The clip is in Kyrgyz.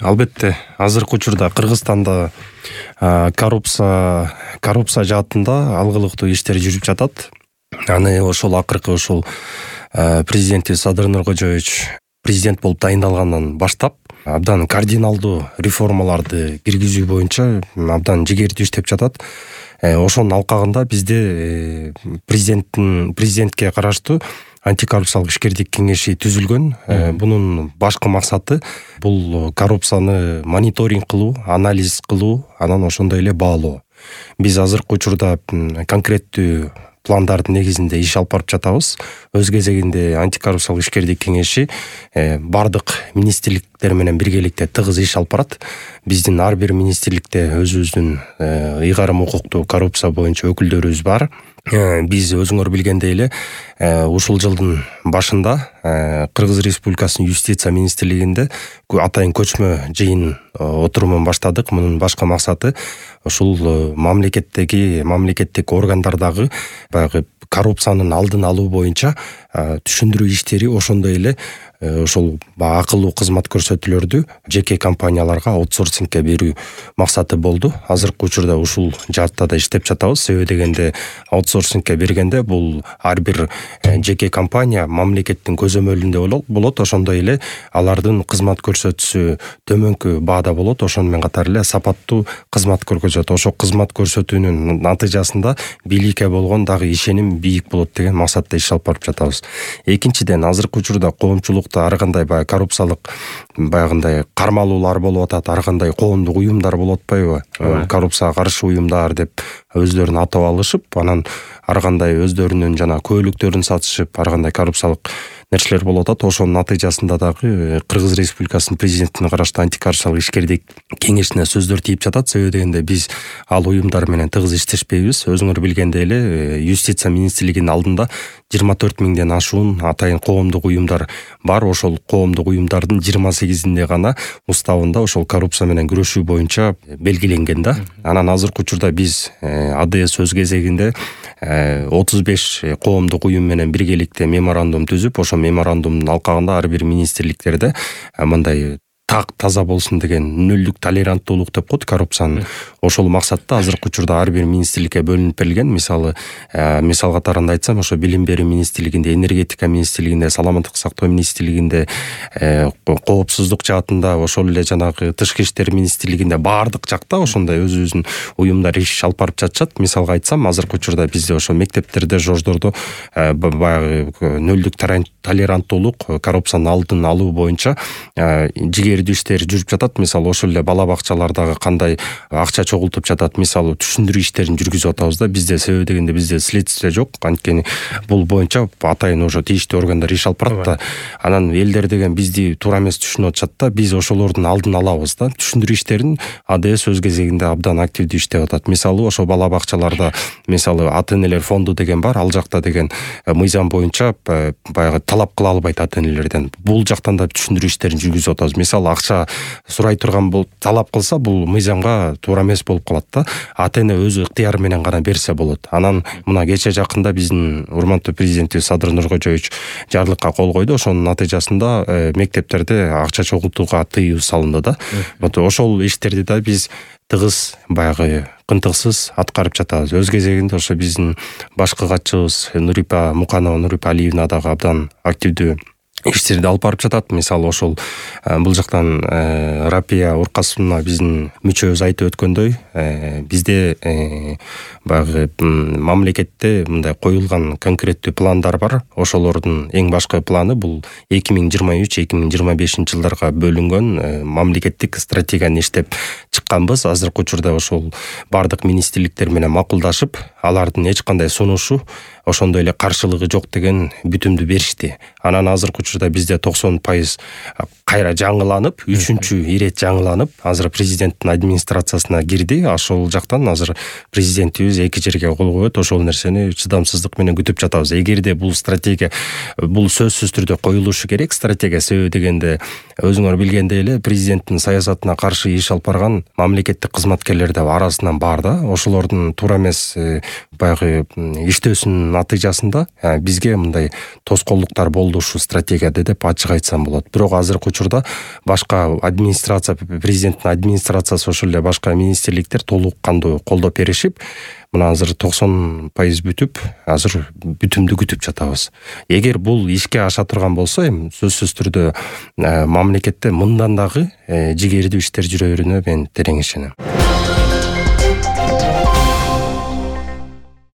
Албетте, азыркы учурда Кыргызстанда коррупция жаатында алгылыктуу иштер жүрүп жатат. Аны ошол акыркы президентибиз Садыр Нуркожоевич президент болуп дайындалгандан баштап абдан кардиналдуу реформаларды киргизүү боюнча абдан жигердүү иштеп жатат. Ошонун алкагында бизде президентке караштуу антикоррупциялык ишкердик кеңеши түзүлгөн. Бунун башкы максаты бул коррупцияны мониторинг кылуу, анализ кылуу, анан ошондой эле баалоо. Биз азыркы учурда конкреттүү пландардын негизинде иш алып барып жатабыз. Өз кезегинде антикоррупциялык ишкердик кеңеши бардык министрликтер менен биргеликте тыгыз иш алып барат. Биздин ар бир министрликте өзүбүздүн ыйгарым укуктуу коррупция боюнча өкүлдөрүбүз бар. Биз өзүңөр билгендей эле ушул жылдын башында Кыргыз Республикасынын юстиция министрлигинде атайын көчмө жыйын отурумун баштадык. Мунун башкы максаты ушул мамлекеттик органдардагы баягы коррупциянын алдын алуу боюнча түшүндүрүү иштери, ошондой эле ошол акылуу кызмат көрсөтүүлөрдү жеке компанияларга аутсорсингке берүү максаты болду. Азыркы учурда ушул жаатта да иштеп жатабыз. Себеби дегенде аутсорсингке бергенде бул ар бир жеке компания мамлекеттин көзөмөлүндө болот. Ошондой эле алардын кызмат көрсөтүүсү төмөнкү баада болот. Ошону менен катар эле сапаттуу кызмат көрсөтөт. Ошол кызмат көрсөтүүнүн натыйжасында бийликке болгон дагы ишеним бийик болот деген максатта иш алып барып жатабыз. Экинчиден, азыркы учурда коомчулукта ар кандай коррупциялык баягындай кармалуулар болуп атат, ар кандай коомдук уюмдар болуп атпайбы? Коррупцияга каршы уюмдар деп өздөрүн атап алышып, анан ар кандай өздөрүнүн көөлүктөрүн сатышып, ар кандай коррупциялык нерселер болуп атат. Ошонун натыйжасында дагы Кыргыз Республикасынын президентине караштуу антикоррупциялык ишкердик кеңешине сөздөр тийип жатат. Себеби дегенде биз ал уюмдар менен тыгыз иштешпейбиз. Өзүңөр билгендей эле юстиция министрлигинин алдында 24 миңден ашуун атайын коомдук уюмдар бар. Ошол коомдук уюмдардын 28-инде гана уставында ошол коррупция менен күрөшүү боюнча белгиленген да. Анан азыркы учурда биз АДС өз кезегинде 35 коомдук уюм менен биргеликте меморандум түзүп, ошол меморандумдун алкагында ар бир министрликтерде мындай так таза болсун деген нөлдүк толеранттуулук деп коет коррупциянын. Ошол максатта азыркы учурда ар бир министрликке бөлүнүп берилген. Мисал катарында айтсам, ошо билим берүү министрлигинде, энергетика министрлигинде, саламаттык сактоо министрлигинде, коопсуздук жаатында, ошол эле тышкы иштер министрлигинде баардык жакта ошондой өзүбүздүн уюмдар иш алып барып жатышат. Мисалга айтсам, азыркы учурда бизде ошо мектептерде, жождордо баягы нөлдүк толеранттуулук, коррупциянын алдын алуу боюнча жигердүү иштер жүрүп жатат. Мисалы ошол эле бала бакчалардагы кандай акча чогултуп жатат, мисалы түшүндүрүү иштерин жүргүзүп атабыз да. Бизде себеби дегенде бизде следствие жок, анткени бул боюнча атайын ошо тийиштүү органдар иш алып барат да. Анан элдер деген бизди туура эмес түшүнүп атышат да. Биз ошолордун алдын алабыз да. Түшүндүрүү иштерин АДС өз кезегинде абдан активдүү иштеп атат. Мисалы ошо бала бакчаларда ата-энелер фонду деген бар. Ал жакта деген мыйзам боюнча баягы талап кыла албайт ата-энелерден. Бул жактан да түшүндүрүү иштерин жүргүзүп атабыз. Мисалы акча сурай турган болуп талап кылса, бул мыйзамга туура эмес болуп калат да. Ата-эне өзү ыктыяры менен гана берсе болот. Анан мына кече жакында биздин урматтуу президентибиз Садыр Нуркожоевич жарлыкка кол койду. Ошонун натыйжасында мектептерде акча чогултууга тыюу салынды да. Ошол иштерди да биз тыгыз баягы кынтыксыз аткарып жатабыз. Өз кезегинде ошо биздин башкы катчыбыз Нурипа Алиевна дагы абдан активдүү иштерди алып барып жатат. Мисалы ошол бул жактан Рапия Уркасовна биздин мүчөбүз айтып өткөндөй, бизде баягы мамлекетте мындай коюлган конкреттүү пландар бар. Ошолордун эң башкы планы бул 2023-2025 жылдарга бөлүнгөн мамлекеттик стратегияны иштеп чыкканбыз. Азыркы учурда ошол бардык министрликтер менен макулдашып, алардын эч кандай сунушу, ошондой эле каршылыгы жок деген бүтүмдү беришти. Анан азыркы учурда бизде 90% кайра жаңыланып, 3-чү ирет жаңыланып, азыр президенттин администрациясына кирди. Ошол жактан азыр президентибиз 2 жерге кол коет. Ошол нерсени чыдамсыздык менен күтүп жатабыз. Эгерде бул стратегия, бул сөзсүз түрдө коюлушу керек стратегия. Себеби дегенде өзүңөр билгендей эле президенттин саясатына каршы иш алып барган мамлекеттик кызматкерлер да арасынан бар да. Ошолордун туура эмес баягы иштөөсүнүн натыйжасында бизге мындай тоскоолдуктар болду ушул стратегияда деп ачык айтсам болот. Бирок азыркы учурда башка администрация, президенттин администрациясы ошол эле башка министрликтер толук кандуу колдоп беришип, мына азыр 90% бүтүп, азыр бүтүмдү күтүп жатабыз. Эгер бул ишке аша турган болсо, эми сөзсүз түрдө мамлекетте мындан дагы жигердүү иштер жүрөрүнө мен терең ишенем.